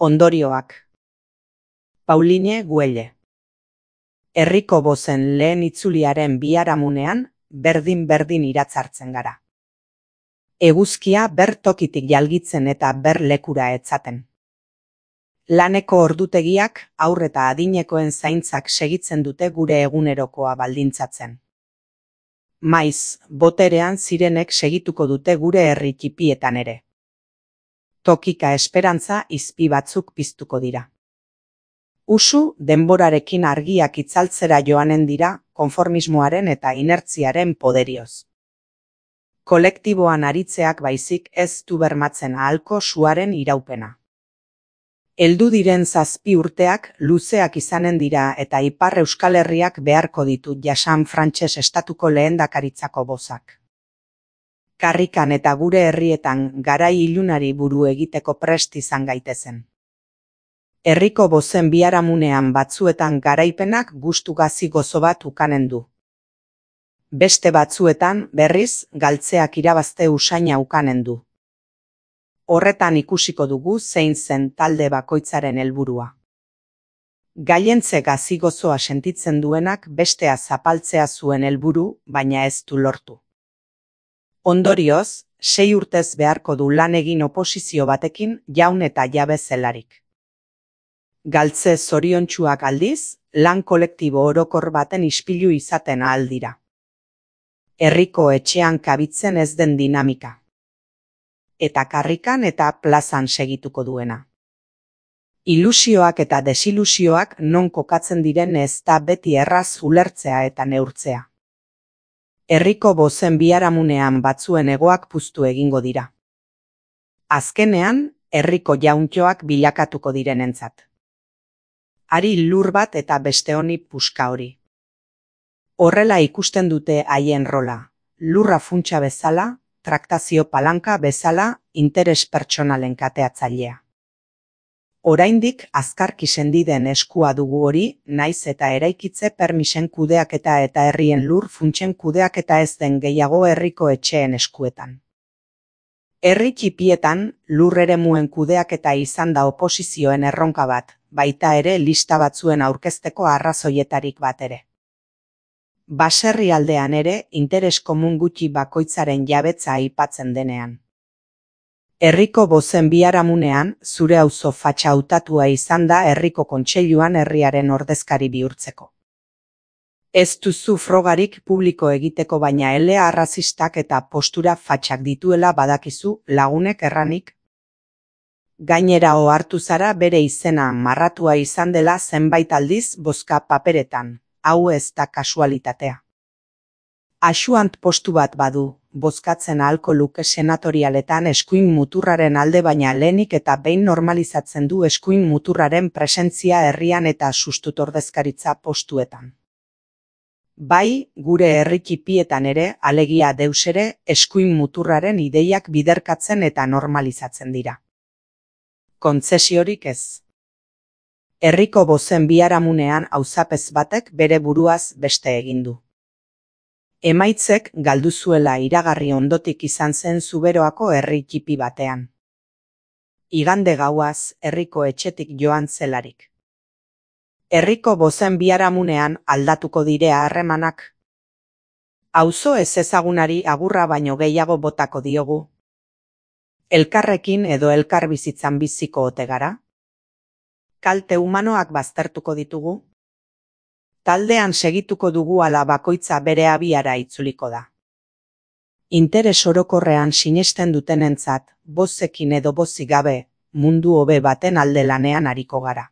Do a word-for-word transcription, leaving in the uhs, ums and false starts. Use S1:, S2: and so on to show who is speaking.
S1: Ondorioak. Pauline Güelle. Herriko bozen lehen itzuliaren biharamunean, berdin-berdin iratzartzen gara. Eguzkia ber tokitik jalgitzen eta ber lekura etzaten. Laneko ordutegiak haur eta adinekoen zaintzak segitzen dute gure egunerokoa baldintzatzen. Maiz, boterean zirenek segituko dute gure herri txipietan ere. Tokika esperantza izpi batzuk piztuko dira. Usu denborarekin argiak itzaltzera joanen dira konformismoaren eta inertziaren poderioz. Kolektiboan aritzeak baizik ez du bermatzen ahalko suaren iraupena. Heldu diren zazpi urteak luzeak izanen dira eta Ipar Euskal Herriak beharko ditu jasan frantses estatuko lehendakaritzako bozak. Karrikan eta gure herrietan garai ilunari buru egiteko prest izan gaitezen. Herriko bozen biharamunean batzuetan garaipenak gustu gazi gozo bat ukanen du. Beste batzuetan, berriz, galtzeak irabazte usaina ukanen du. Horretan ikusiko dugu zein zen talde bakoitzaren helburua. Gaientze gazi gozoa sentitzen duenak bestea zapaltzea zuen helburu, baina ez du lortu. Ondorioz, sei urtez beharko du lan egin oposizio batekin jaun eta jabe zelarik. Galtze zoriontsuak aldiz, lan kolektibo orokor baten ispilu izaten ahal dira. Herriko etxean kabitzen ez den dinamika. Eta karrikan eta plazan segituko duena. Ilusioak eta desilusioak non kokatzen diren ez da beti erraz ulertzea eta neurtzea. Herriko bozen biharamunean batzuen egoak puztu egingo dira. Azkenean, herriko jauntxoak bilakatuko direnentzat. Hari lur bat eta beste honi puska hori. Horrela ikusten dute haien rola, lurra funtsa bezala, traktazio palanka bezala, interes pertsonalen kateatzailea. Oraindik azkarki sendiden eskua dugu hori, naiz eta eraikitze permisen kudeaketa eta herrien lur funtsen kudeaketa ez den gehiago herriko etxeen eskuetan. Herri txipietan lur eremuen kudeaketa izan da oposizioen erronka bat, baita ere lista batzuen aurkezteko arrazoietarik bat ere. Baserri aldean ere interes komun gutxi bakoitzaren jabetza aipatzen denean. Herriko bozen biharamunean zure auzo fatxa hautatua izan da herriko kontseiluan herriaren ordezkari bihurtzeko. Ez duzu frogarik publiko egiteko baina elea arrazistak eta postura fatxak dituela badakizu lagunek erranik. Gainera ohartu zara bere izena marratua izan dela zenbait aldiz bozka paperetan. Hau ez da kasualitatea. Asuant postu bat badu, bozkatzen ahalko luke senatorialetan eskuin muturraren alde baina lehenik eta behin normalizatzen du eskuin muturraren presentzia herrian eta sustutordezkaritza postuetan. Bai, gure herri txipietan ere, alegia deus ere, eskuin muturraren ideiak biderkatzen eta normalizatzen dira. Kontzesiorik ez. Herriko bozen biharamunean auzapez batek bere buruaz beste egin du. Emaitzek galdu zuela iragarri ondotik izan zen Zuberoako herri txipi batean. Igande gauaz herriko etxetik joan zelarik. Herriko bozen biharamunean aldatuko direa harremanak. Auzo ez ezagunari agurra baino gehiago botako diogu. Elkarrekin edo elkar bizitzan biziko ote gara? Kalte humanoak baztertuko ditugu? Taldean segituko dugu ala bakoitza bere abiara itzuliko da. Interes orokorrean sinesten dutenentzat, bozekin edo bozik gabe, mundu hobe baten alde lanean ariko gara.